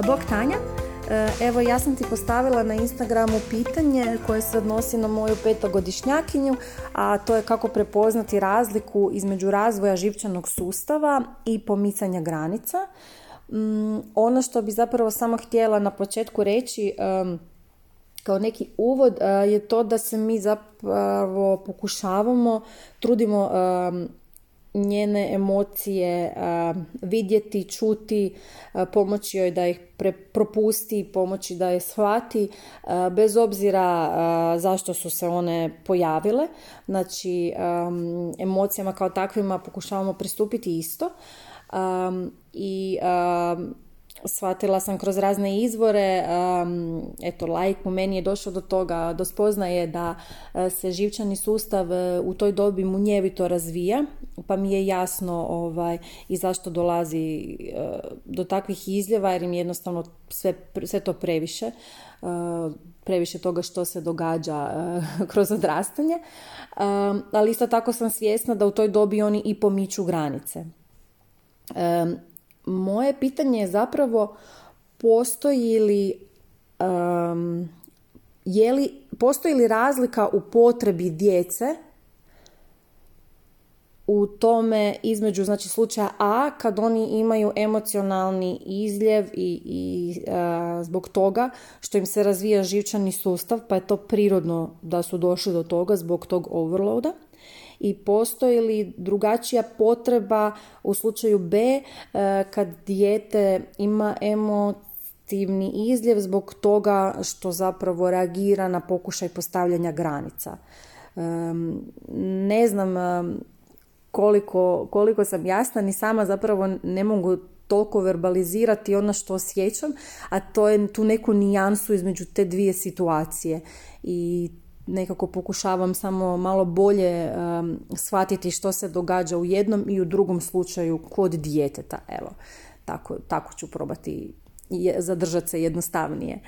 Bog Tanja, evo ja sam ti postavila na Instagramu pitanje koje se odnosi na moju 5-godišnjakinju, a to je kako prepoznati razliku između razvoja živčanog sustava i pomicanja granica. Ono što bi zapravo samo htjela na početku reći kao neki uvod je to da se mi zapravo trudimo njene emocije vidjeti, čuti, pomoći joj da ih propusti, pomoći da je shvati, bez obzira zašto su se one pojavile. Znači, emocijama kao takvima pokušavamo pristupiti isto. I shvatila sam kroz razne izvore, laik u meni je došao do toga, do spoznaje da se živčani sustav u toj dobi munjevito razvija, pa mi je jasno i zašto dolazi do takvih izljeva, jer im jednostavno sve to previše toga što se događa kroz odrastanje, ali isto tako sam svjesna da u toj dobi oni i pomiču granice. Moje pitanje je zapravo postoji li razlika u potrebi djece u tome između, znači, slučaja A kad oni imaju emocionalni izljev i zbog toga što im se razvija živčani sustav, pa je to prirodno da su došli do toga zbog tog overloada. I postoji li drugačija potreba u slučaju B kad dijete ima emotivni izljev zbog toga što zapravo reagira na pokušaj postavljanja granica. Ne znam koliko sam jasna, ni sama zapravo ne mogu toliko verbalizirati ono što osjećam, a to je tu neku nijansu između te dvije situacije i nekako pokušavam samo malo bolje shvatiti što se događa u jednom i u drugom slučaju kod djeteta. Evo, tako ću probati zadržati se jednostavnije.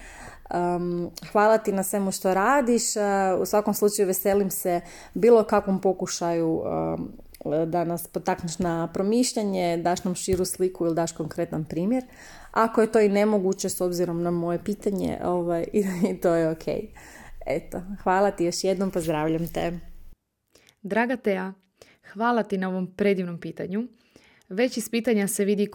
Hvala ti na svemu što radiš. U svakom slučaju veselim se bilo kakvom pokušaju da nas potakneš na promišljanje, daš nam širu sliku ili daš konkretan primjer. Ako je to i nemoguće s obzirom na moje pitanje, i to je ok. Eto, hvala ti još jednom, pozdravljam te. Draga Teja, hvala ti na ovom predivnom pitanju. Već iz pitanja se vidi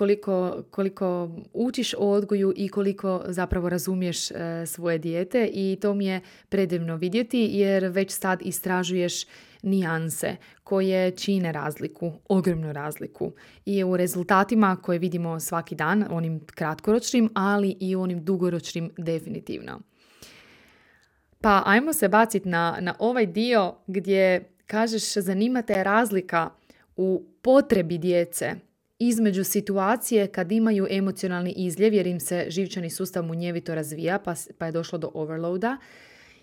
koliko učiš o odgoju i koliko zapravo razumiješ svoje dijete, i to mi je predivno vidjeti, jer već sad istražuješ nijanse koje čine razliku, ogromnu razliku, i u rezultatima koje vidimo svaki dan, onim kratkoročnim, ali i onim dugoročnim definitivno. Pa ajmo se baciti na ovaj dio gdje kažeš zanima te razlika u potrebi djece između situacije kad imaju emocionalni izljev jer im se živčani sustav munjevito razvija pa je došlo do overloada,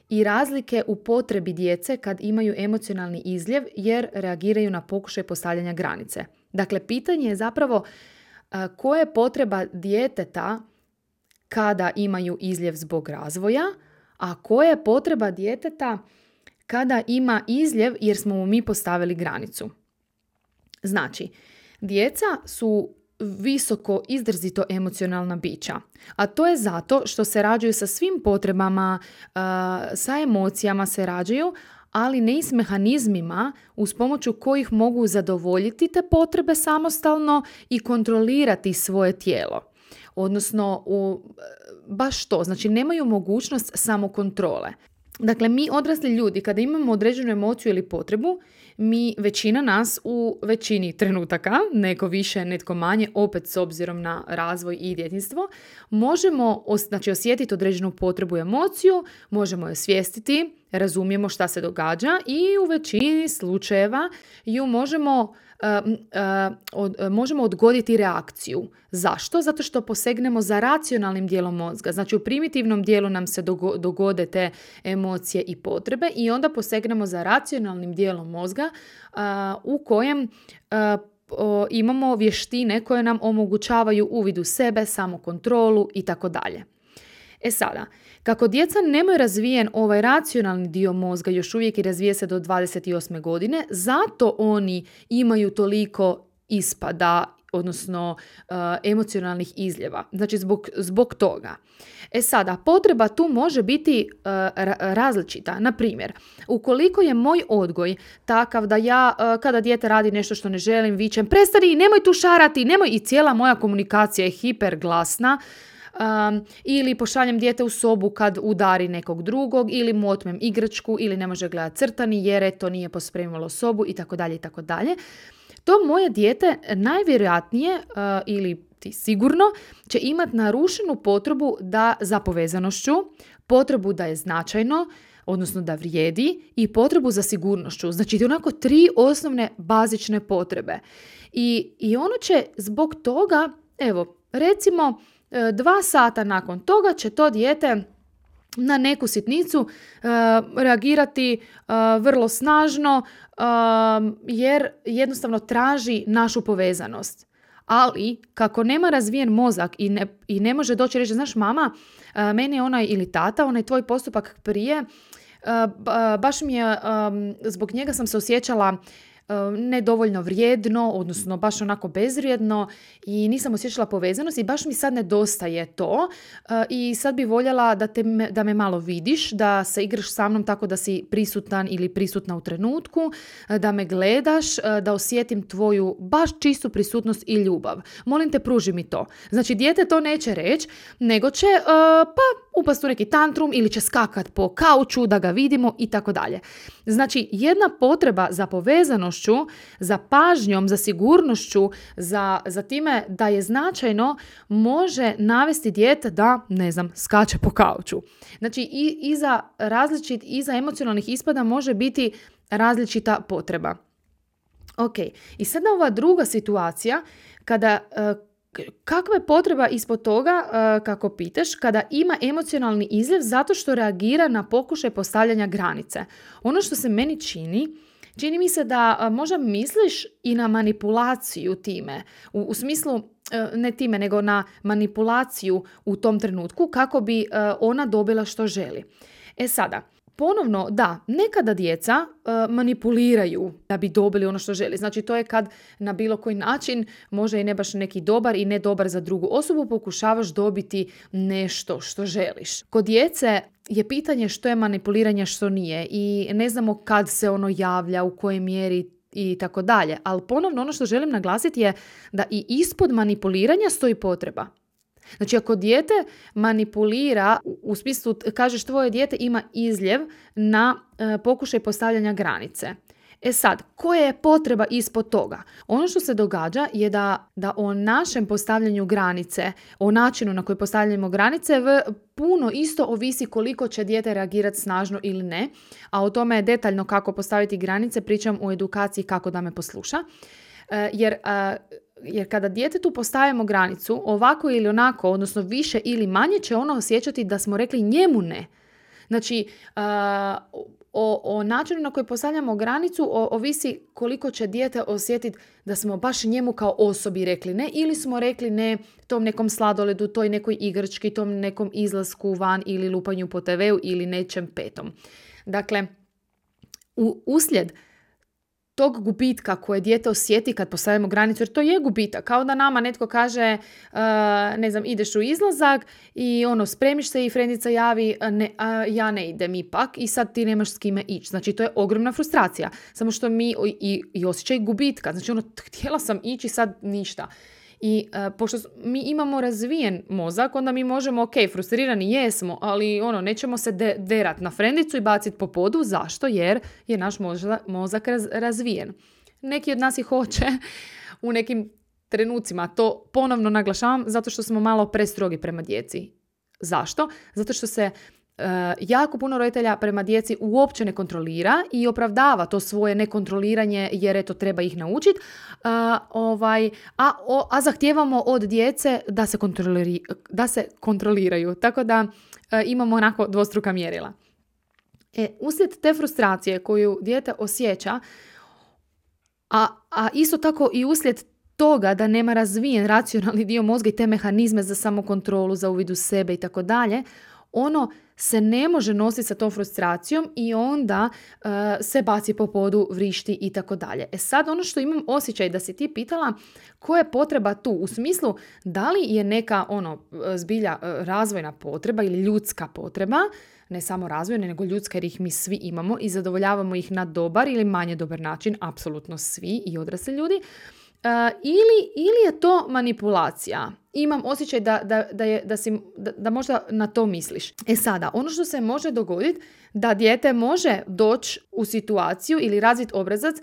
i razlike u potrebi djece kad imaju emocionalni izljev jer reagiraju na pokušaj postavljanja granice. Dakle, pitanje je zapravo koja je potreba djeteta kada imaju izljev zbog razvoja, a koja je potreba djeteta kada ima izljev jer smo mu mi postavili granicu. Znači, djeca su visoko, izrazito emocionalna bića, a to je zato što se rađaju sa svim potrebama, sa emocijama se rađaju, ali ne i s mehanizmima uz pomoću kojih mogu zadovoljiti te potrebe samostalno i kontrolirati svoje tijelo. Odnosno, baš to, znači nemaju mogućnost samokontrole. Dakle, mi odrasli ljudi, kada imamo određenu emociju ili potrebu, većina nas u većini trenutaka, neko više, netko manje, opet s obzirom na razvoj i djetinjstvo, možemo osjetiti određenu potrebu i emociju, možemo je svijestiti, razumijemo šta se događa i u većini slučajeva ju možemo odgoditi reakciju. Zašto? Zato što posegnemo za racionalnim dijelom mozga. Znači, u primitivnom dijelu nam se dogode te emocije i potrebe i onda posegnemo za racionalnim dijelom mozga u kojem imamo vještine koje nam omogućavaju uvid u sebe, samokontrolu i tako dalje. E sada, kako djeca nemaju razvijen ovaj racionalni dio mozga, još uvijek i razvije se do 28. godine, zato oni imaju toliko ispada odnosno emocionalnih izljeva. Znači zbog toga. Sada, potreba tu može biti različita. Na primjer, ukoliko je moj odgoj takav da ja, kada dijete radi nešto što ne želim, vičem prestani, nemoj tu šarati, nemoj, i cijela moja komunikacija je hiperglasna, ili pošaljem dijete u sobu kad udari nekog drugog, ili mu otmem igračku, ili ne može gledati crtani jer eto nije pospremilo sobu itd. itd. To moje dijete najvjerojatnije ili ti sigurno će imati narušenu potrebu za povezanošću, potrebu da je značajno, odnosno da vrijedi, i potrebu za sigurnošću. Znači, onako 3 osnovne bazične potrebe. I ono će zbog toga, evo, recimo 2 sata nakon toga će to dijete na neku sitnicu reagirati vrlo snažno, jer jednostavno traži našu povezanost. Ali, kako nema razvijen mozak i ne može doći reći, znaš mama, meni je onaj, ili tata, onaj tvoj postupak prije, baš mi je, zbog njega sam se osjećala nedovoljno vrijedno, odnosno baš onako bezvrijedno, i nisam osjećala povezanost i baš mi sad nedostaje to, i sad bi voljela da me malo vidiš, da se igraš sa mnom tako da si prisutan ili prisutna u trenutku, da me gledaš, da osjetim tvoju baš čistu prisutnost i ljubav. Molim te, pruži mi to. Znači, dijete to neće reći, nego će upast u neki tantrum ili će skakat po kauču da ga vidimo i tako dalje. Znači, jedna potreba za povezanošću, za pažnjom, za sigurnošću, za time da je značajno, može navesti dijete da, ne znam, skače po kauču. Znači, iza emocionalnih ispada može biti različita potreba. Ok, i sada ova druga situacija, kada kakva je potreba ispod toga, kako pitaš, kada ima emocionalni izljev zato što reagira na pokušaj postavljanja granice. Ono što se meni čini mi se da možda misliš i na manipulaciju time, u smislu, ne time, nego na manipulaciju u tom trenutku kako bi ona dobila što želi. Sada, ponovno, da, nekada djeca manipuliraju da bi dobili ono što želi. Znači, to je kad na bilo koji način, može i ne baš neki dobar i ne dobar za drugu osobu, pokušavaš dobiti nešto što želiš. Kod djece je pitanje što je manipuliranje, što nije, i ne znamo kad se ono javlja, u kojoj mjeri i tako dalje. Ali ponovno, ono što želim naglasiti je da i ispod manipuliranja stoji potreba. Znači, ako dijete manipulira, u smislu kažeš tvoje dijete ima izljev na pokušaj postavljanja granice. Sad, koja je potreba ispod toga? Ono što se događa je da o našem postavljanju granice, o načinu na koji postavljamo granice, puno isto ovisi koliko će dijete reagirati snažno ili ne. A o tome je detaljno kako postaviti granice, pričam u edukaciji kako da me posluša. Jer kada djetetu postavimo granicu, ovako ili onako, odnosno više ili manje, će ono osjećati da smo rekli njemu ne. Znači, o načinu na koji postavljamo granicu ovisi koliko će dijete osjetiti da smo baš njemu kao osobi rekli ne, ili smo rekli ne tom nekom sladoledu, toj nekoj igrački, tom nekom izlasku van ili lupanju po TV-u ili nečem petom. Dakle, uslijed tog gubitka koje dijete osjeti kad postavimo granicu, jer to je gubitak, kao da nama netko kaže, ne znam, ideš u izlazak i spremiš se i frendica javi, ja ne idem ipak, i sad ti nemaš s kime ići. Znači, to je ogromna frustracija. Samo što mi i osjećaj gubitka. Znači, htjela sam ići, sad ništa. I pošto mi imamo razvijen mozak, onda mi možemo, ok, frustrirani jesmo, ali nećemo se derat na frendicu i baciti po podu. Zašto? Jer je naš mozak razvijen. Neki od nas i hoće u nekim trenucima. To ponovno naglašavam zato što smo malo prestrogi prema djeci. Zašto? Zato što se jako puno roditelja prema djeci uopće ne kontrolira i opravdava to svoje nekontroliranje jer eto treba ih naučiti, a zahtijevamo od djece da se kontroliraju. Tako da imamo onako dvostruka mjerila. Uslijed te frustracije koju dijete osjeća, a isto tako i uslijed toga da nema razvijen racionalni dio mozga i te mehanizme za samokontrolu, za uvid u sebe i tako dalje, ono se ne može nositi sa tom frustracijom i onda se baci po podu, vrišti i tako dalje. Sad ono što imam osjećaj da si ti pitala koja je potreba tu, u smislu da li je neka zbilja razvojna potreba ili ljudska potreba, ne samo razvojna, nego ljudska jer ih mi svi imamo i zadovoljavamo ih na dobar ili manje dobar način, apsolutno svi i odrasli ljudi. Ili je to manipulacija. Imam osjećaj da možda na to misliš. Sada, ono što se može dogoditi da dijete može doći u situaciju ili razviti obrazac,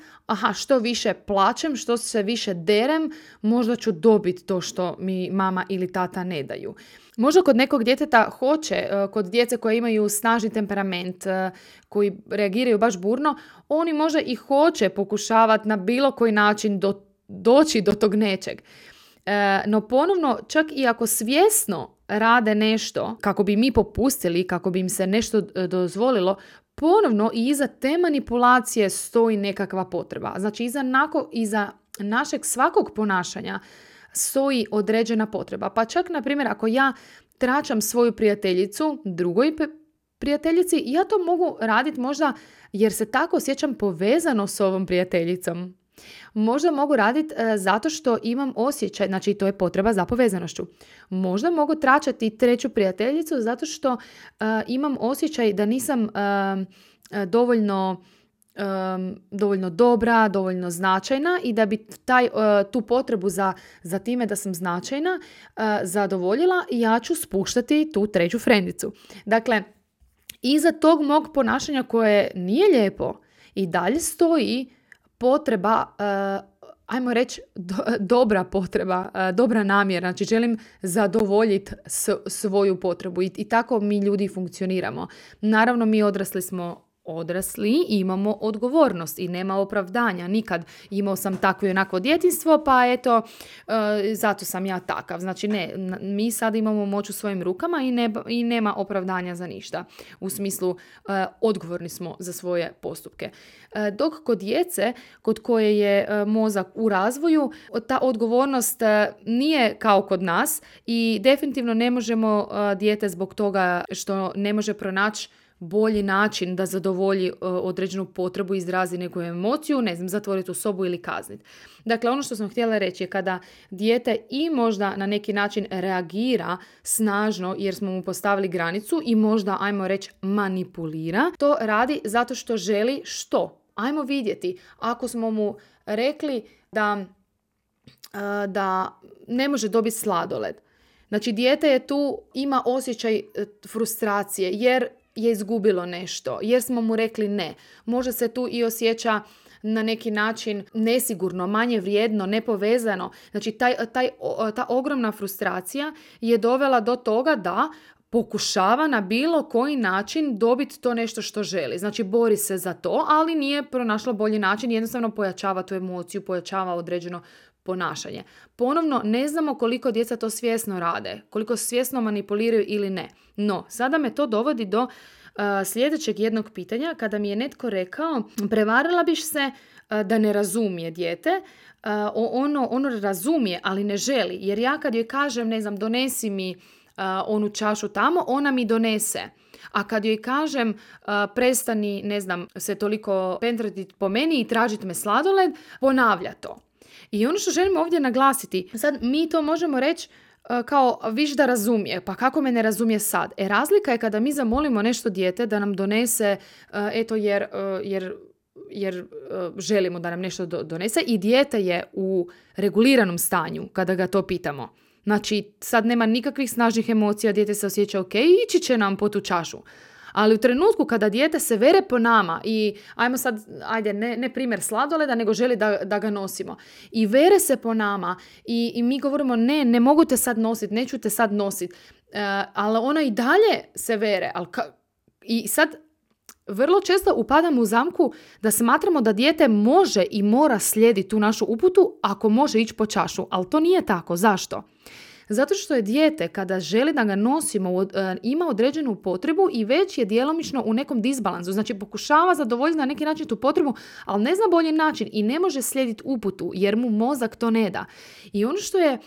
što više plačem, što se više derem, možda ću dobiti to što mi mama ili tata ne daju. Možda kod nekog djeteta hoće, kod djece koje imaju snažni temperament, koji reagiraju baš burno, oni možda i hoće pokušavati na bilo koji način doći do tog nečeg. No ponovno, čak i ako svjesno rade nešto kako bi mi popustili, kako bi im se nešto dozvolilo, ponovno i iza te manipulacije stoji nekakva potreba. Znači iza našeg svakog ponašanja stoji određena potreba. Pa čak, na primjer, ako ja tračam svoju prijateljicu drugoj prijateljici, ja to mogu raditi možda jer se tako osjećam povezano s ovom prijateljicom. Možda mogu raditi zato što imam osjećaj, znači to je potreba za povezanošću. Možda mogu tračati treću prijateljicu zato što imam osjećaj da nisam dovoljno dobra, dovoljno značajna i da bi tu potrebu za time da sam značajna zadovoljila, ja ću spuštati tu treću frendicu. Dakle, iza tog mog ponašanja koje nije lijepo i dalje stoji potreba, ajmo reći dobra potreba, dobra namjera, znači želim zadovoljiti svoju potrebu i tako mi ljudi funkcioniramo. Naravno, mi odrasli smo odrasli i imamo odgovornost i nema opravdanja. Nikad imao sam takvo i onako djetinjstvo, pa eto, zato sam ja takav. Znači ne, mi sad imamo moć u svojim rukama i nema opravdanja za ništa. U smislu, odgovorni smo za svoje postupke. Dok kod djece, kod koje je mozak u razvoju, ta odgovornost nije kao kod nas i definitivno ne možemo dijete zbog toga što ne može pronaći bolji način da zadovolji određenu potrebu, izrazi neku emociju, zatvoriti u sobu ili kazniti. Dakle, ono što sam htjela reći je kada dijete i možda na neki način reagira snažno jer smo mu postavili granicu i možda, ajmo reći, manipulira, to radi zato što želi što? Ajmo vidjeti. Ako smo mu rekli da ne može dobiti sladoled, znači dijete je tu, ima osjećaj frustracije jer je izgubilo nešto, jer smo mu rekli ne. Možda se tu i osjeća na neki način nesigurno, manje vrijedno, nepovezano. Znači ta ogromna frustracija je dovela do toga da pokušava na bilo koji način dobiti to nešto što želi. Znači bori se za to, ali nije pronašla bolji način, jednostavno pojačava tu emociju, pojačava određeno ponašanje. Ponovno, ne znamo koliko djeca to svjesno rade, koliko svjesno manipuliraju ili ne. No, sada me to dovodi do sljedećeg jednog pitanja, kada mi je netko rekao, prevarila biš se da ne razumije dijete, ono razumije, ali ne želi, jer ja kad joj kažem, donesi mi onu čašu tamo, ona mi donese. A kad joj kažem prestani, se toliko pentrati po meni i tražiti me sladoled, ponavlja to. I ono što želim ovdje naglasiti, sad mi to možemo reći kao viš da razumije, pa kako me ne razumije sad? Razlika je kada mi zamolimo nešto dijete da nam donese, jer želimo da nam nešto donese i dijete je u reguliranom stanju kada ga to pitamo. Znači, sad nema nikakvih snažnih emocija, dijete se osjeća ok, ići će nam po tu čašu. Ali u trenutku kada dijete se vere po nama i ne primjer sladoleda, nego želi da ga nosimo. I vere se po nama i mi govorimo ne mogu te sad nositi, neću te sad nositi. Ali ona i dalje se vere. I sad vrlo često upadamo u zamku da smatramo da dijete može i mora slijediti tu našu uputu ako može ići po čašu. Ali to nije tako. Zašto? Zato što je dijete, kada želi da ga nosimo, ima određenu potrebu i već je djelomično u nekom disbalansu. Znači pokušava zadovoljiti na neki način tu potrebu, ali ne zna bolji način i ne može slijediti uputu jer mu mozak to ne da. I ono što je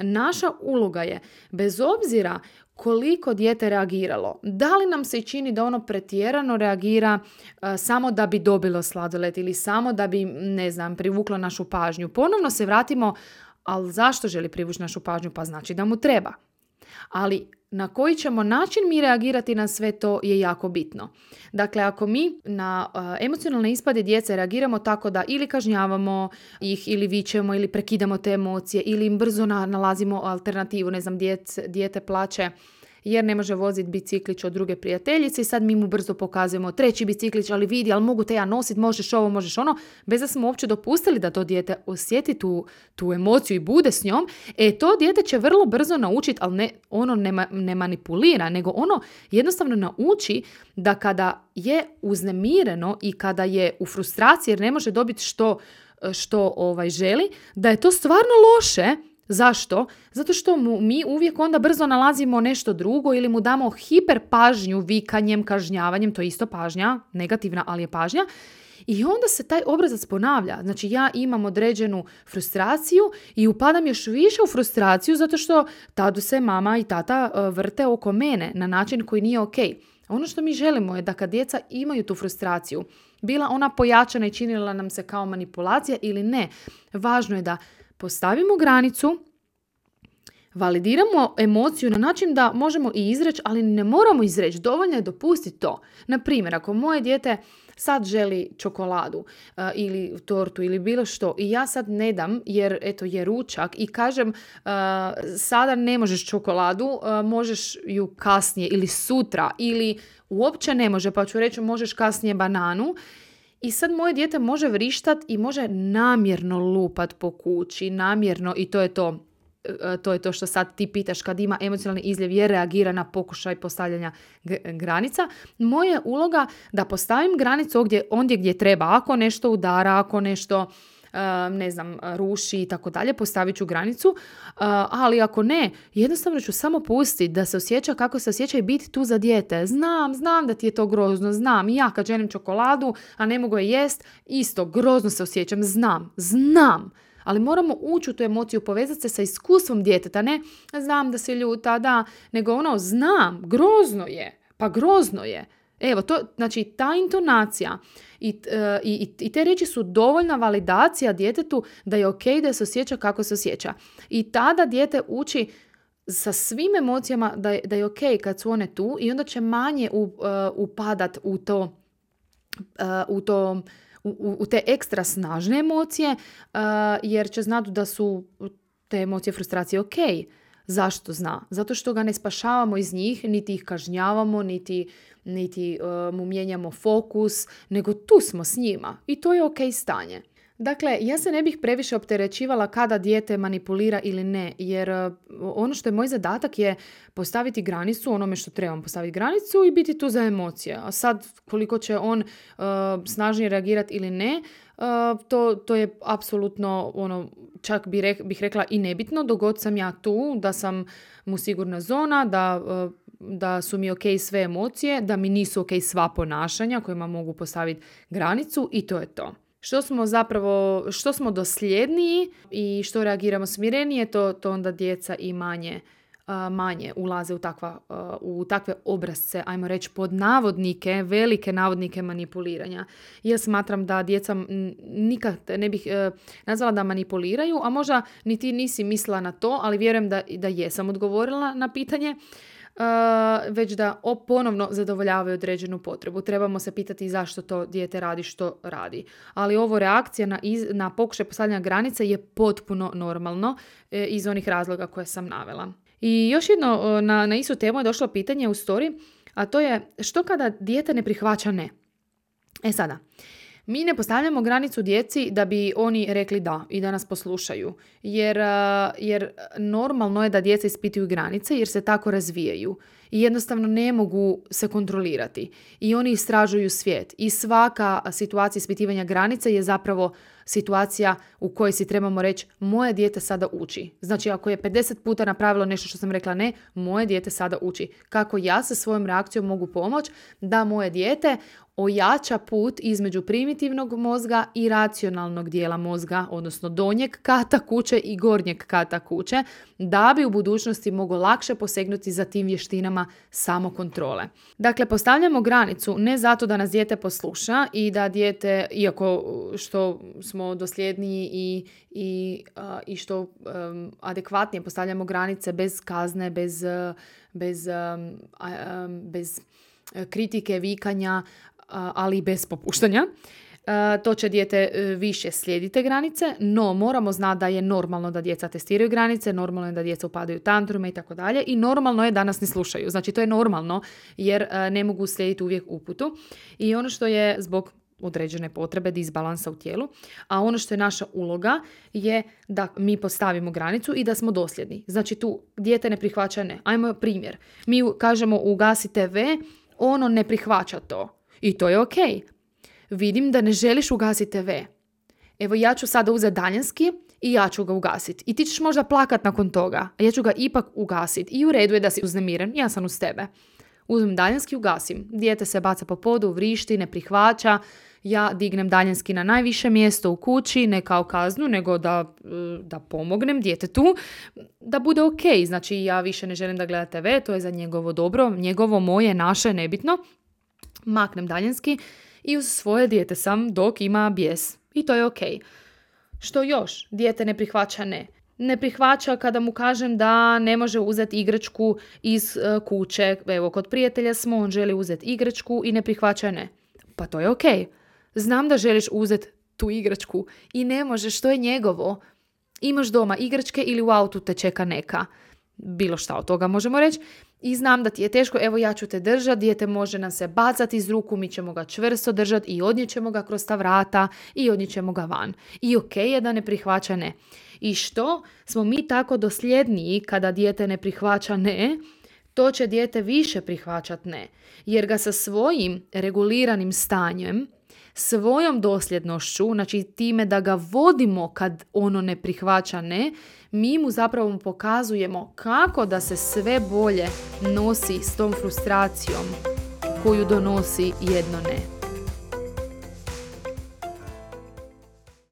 naša uloga je, bez obzira koliko dijete reagiralo, da li nam se čini da ono pretjerano reagira samo da bi dobilo sladoled ili samo da bi, privuklo našu pažnju. Ponovno se vratimo, ali zašto želi privući našu pažnju? Pa znači da mu treba. Ali na koji ćemo način mi reagirati na sve to je jako bitno. Dakle, ako mi na emocionalne ispade djece reagiramo tako da ili kažnjavamo ih, ili vičemo, ili prekidamo te emocije, ili im brzo nalazimo alternativu, dijete plače jer ne može voziti biciklić od druge prijateljice i sad mi mu brzo pokazujemo treći biciklić, ali vidi, ali mogu te ja nositi, možeš ovo, možeš ono, bez da smo uopće dopustili da to dijete osjeti tu emociju i bude s njom, to dijete će vrlo brzo naučiti, ali ono ne manipulira, nego ono jednostavno nauči da kada je uznemireno i kada je u frustraciji jer ne može dobiti što želi, da je to stvarno loše. Zašto? Zato što mi uvijek onda brzo nalazimo nešto drugo ili mu damo hiper pažnju vikanjem, kažnjavanjem, to je isto pažnja, negativna, ali je pažnja. I onda se taj obrazac ponavlja. Znači ja imam određenu frustraciju i upadam još više u frustraciju zato što tad se mama i tata vrte oko mene na način koji nije ok. Ono što mi želimo je da kad djeca imaju tu frustraciju, bila ona pojačana i činila nam se kao manipulacija ili ne, važno je da postavimo granicu, validiramo emociju na način da možemo i izreći, ali ne moramo izreći, dovoljno je dopustiti to. Na primjer, ako moje dijete sad želi čokoladu ili tortu ili bilo što i ja sad ne dam jer je ručak i kažem sada ne možeš čokoladu, možeš ju kasnije ili sutra ili uopće ne može, pa ću reći možeš kasnije bananu. I sad moje dijete može vrištat i može namjerno lupat po kući, namjerno, i to je to. To je to što sad ti pitaš kad ima emocionalni izljev jer reagira na pokušaj postavljanja granica. Moja je uloga da postavim granicu ondje gdje treba. Ako nešto udara, ako nešto ruši i tako dalje, postavit ću granicu, ali ako ne, jednostavno ću samo pustiti da se osjeća kako se osjeća i biti tu za dijete. Znam da ti je to grozno, znam, i ja kad želim čokoladu, a ne mogu je jest, isto, grozno se osjećam, znam, ali moramo ući u tu emociju, povezati se sa iskustvom djeteta, ne znam da se ljuta, da, nego znam, grozno je. Evo, to, znači ta intonacija i te riječi su dovoljna validacija djetetu da je ok da se osjeća kako se osjeća. I tada dijete uči sa svim emocijama da je ok kad su one tu i onda će manje upadat u te ekstra snažne emocije jer će znati da su te emocije frustracije ok. Zašto zna? Zato što ga ne spašavamo iz njih, niti ih kažnjavamo, niti mu mijenjamo fokus, nego tu smo s njima i to je ok stanje. Dakle, ja se ne bih previše opterećivala kada dijete manipulira ili ne, jer ono što je moj zadatak je postaviti granicu onome što trebam postaviti granicu i biti tu za emocije. A sad, koliko će on snažnije reagirati ili ne, to je apsolutno čak bih rekla i nebitno, dok god sam ja tu, da sam mu sigurna zona, da su mi ok sve emocije, da mi nisu ok sva ponašanja kojima mogu postaviti granicu i to je to. Što smo dosljedniji i što reagiramo smirenije, to onda djeca i manje ulaze u takve obrazce, ajmo reći pod navodnike, velike navodnike manipuliranja. Ja smatram da djeca nikad ne bih nazvala da manipuliraju, a možda ni ti nisi mislila na to, ali vjerujem da jesam odgovorila na pitanje. Već da ponovno zadovoljavaju određenu potrebu. Trebamo se pitati zašto to dijete radi što radi. Ali ovo reakcija na pokušaj postavljanja granice je potpuno normalno iz onih razloga koje sam navela. I još jedno na istu temu je došlo pitanje u story, a to je što kada dijete ne prihvaća ne? Sada, mi ne postavljamo granicu djeci da bi oni rekli da i da nas poslušaju. Jer normalno je da djeca ispituju granice jer se tako razvijaju. I jednostavno ne mogu se kontrolirati. I oni istražuju svijet. I svaka situacija ispitivanja granice je zapravo situacija u kojoj si trebamo reći moje dijete sada uči. Znači ako je 50 puta napravilo nešto što sam rekla ne, moje dijete sada uči. Kako ja sa svojom reakcijom mogu pomoći da moje dijete ojača put između primitivnog mozga i racionalnog dijela mozga, odnosno donjeg kata kuće i gornjeg kata kuće, da bi u budućnosti moglo lakše posegnuti za tim vještinama samokontrole. Dakle, postavljamo granicu ne zato da nas dijete posluša i da dijete, iako što smo dosljedniji i što adekvatnije postavljamo granice bez kazne, bez kritike, vikanja, ali i bez popuštanja. To će dijete više slijediti te granice, no moramo znati da je normalno da djeca testiraju granice, normalno je da djeca upadaju u tantrume i tako dalje i normalno je da nas ne slušaju. Znači to je normalno jer ne mogu slijediti uvijek uputu i ono što je zbog određene potrebe disbalansa u tijelu, a ono što je naša uloga je da mi postavimo granicu i da smo dosljedni. Znači tu dijete ne prihvaća ne. Ajmo primjer. Mi kažemo ugasi TV, ono ne prihvaća to. I to je ok. Vidim da ne želiš ugasiti TV. Evo ja ću sada uzeti daljinski i ja ću ga ugasiti. I ti ćeš možda plakat nakon toga, a ja ću ga ipak ugasiti. I u redu je da si uznemiren, ja sam uz tebe. Uzmem daljinski, ugasim. Dijete se baca po podu, vrišti, ne prihvaća. Ja dignem daljinski na najviše mjesto u kući, ne kao kaznu, nego da pomognem djetetu da bude ok. Znači ja više ne želim da gleda TV, to je za njegovo dobro, njegovo, moje, naše, nebitno. Maknem daljinski i uz svoje dijete sam dok ima bijes. I to je ok. Što još? Dijete ne prihvaća ne. Ne prihvaća kada mu kažem da ne može uzeti igračku iz kuće. Evo, kod prijatelja smo, on želi uzeti igračku i ne prihvaća ne. Pa to je ok. Znam da želiš uzeti tu igračku i ne možeš, to je njegovo. Imaš doma igračke ili u autu te čeka neka. Bilo šta od toga možemo reći. I znam da ti je teško, evo ja ću te držati, dijete može nam se bacati iz ruku, mi ćemo ga čvrsto držati i odnijećemo ga kroz ta vrata i odnijećemo ga van. I ok je da ne prihvaća ne. I što smo mi tako dosljedniji kada dijete ne prihvaća ne, to će dijete više prihvaćati ne. Jer ga sa svojim reguliranim stanjem, svojom dosljednošću, znači time da ga vodimo kad ono ne prihvaća ne, mi mu zapravo pokazujemo kako da se sve bolje nosi s tom frustracijom koju donosi jedno ne.